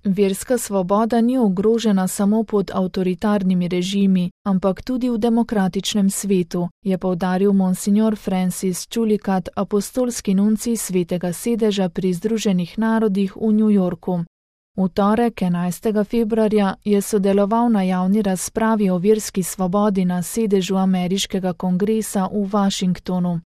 Verska svoboda ni ogrožena samo pod avtoritarnimi režimi, ampak tudi v demokratičnem svetu, je poudaril monsignor Francis Chulikat, apostolski nuncij Svetega sedeža pri Združenih narodih v New Yorku. V torek 11. februarja je sodeloval na javni razpravi o verski svobodi na sedežu ameriškega kongresa v Washingtonu.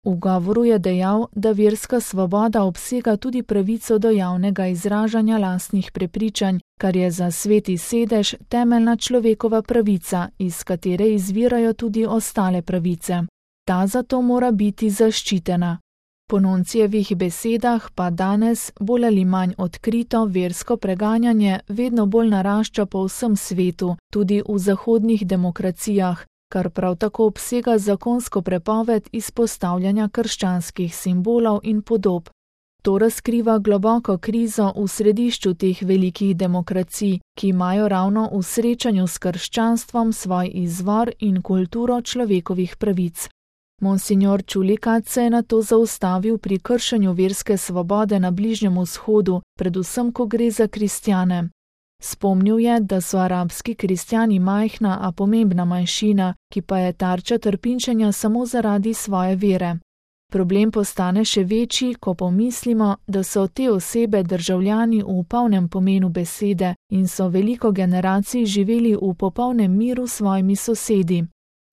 V govoru je dejal, da verska svoboda obsega tudi pravico do javnega izražanja lastnih prepričanj, kar je za Sveti sedež temeljna človekova pravica, iz katere izvirajo tudi ostale pravice. Ta zato mora biti zaščitena. Po nuncijevih besedah pa danes bolj ali manj odkrito versko preganjanje vedno bolj narašča po vsem svetu, tudi v zahodnih demokracijah, kar prav tako obsega zakonsko prepoved izpostavljanja krščanskih simbolov in podob. To razkriva globoko krizo v središču teh velikih demokracij, ki imajo ravno v srečanju s krščanstvom svoj izvor in kulturo človekovih pravic. Monsignor Chulikat se je nato zaustavil pri kršenju verske svobode na Bližnjem vzhodu, predvsem ko gre za kristjane. Spomnil je, da so arabski kristjani majhna, a pomembna manjšina, ki pa je tarča trpinčenja samo zaradi svoje vere. Problem postane še večji, ko pomislimo, da so te osebe državljani v polnem pomenu besede in so veliko generacij živeli v popolnem miru s svojimi sosedi.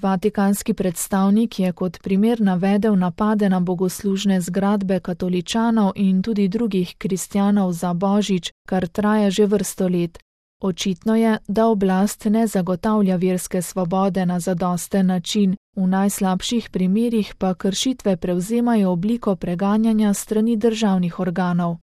Vatikanski predstavnik je kot primer navedel napade na bogoslužne zgradbe katoličanov in tudi drugih kristjanov za Božič, kar traja že vrsto let. Očitno je, da oblast ne zagotavlja verske svobode na zadosten način, v najslabših primerih pa kršitve prevzemajo obliko preganjanja strani državnih organov.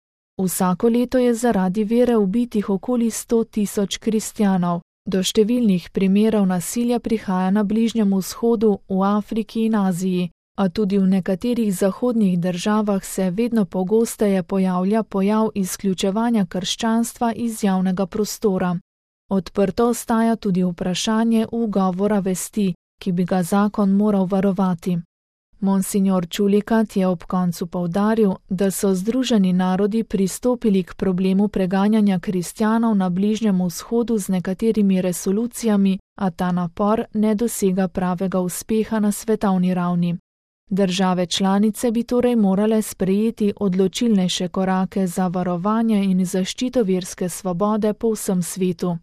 Vsako leto je zaradi vere ubitih okoli 100.000 kristjanov. Do številnih primerov nasilja prihaja na Bližnjem vzhodu, v Afriki in Aziji, a tudi v nekaterih zahodnih državah se vedno pogosteje pojavlja pojav izključevanja krščanstva iz javnega prostora. Odprto ostaja tudi vprašanje ugovora vesti, ki bi ga zakon moral varovati. Monsignor Chulikat je ob koncu poudaril, da so Združeni narodi pristopili k problemu preganjanja kristjanov na Bližnjem vzhodu z nekaterimi resolucijami, a ta napor ne dosega pravega uspeha na svetovni ravni. Države članice bi torej morale sprejeti odločilnejše korake za varovanje in zaščito verske svobode po vsem svetu.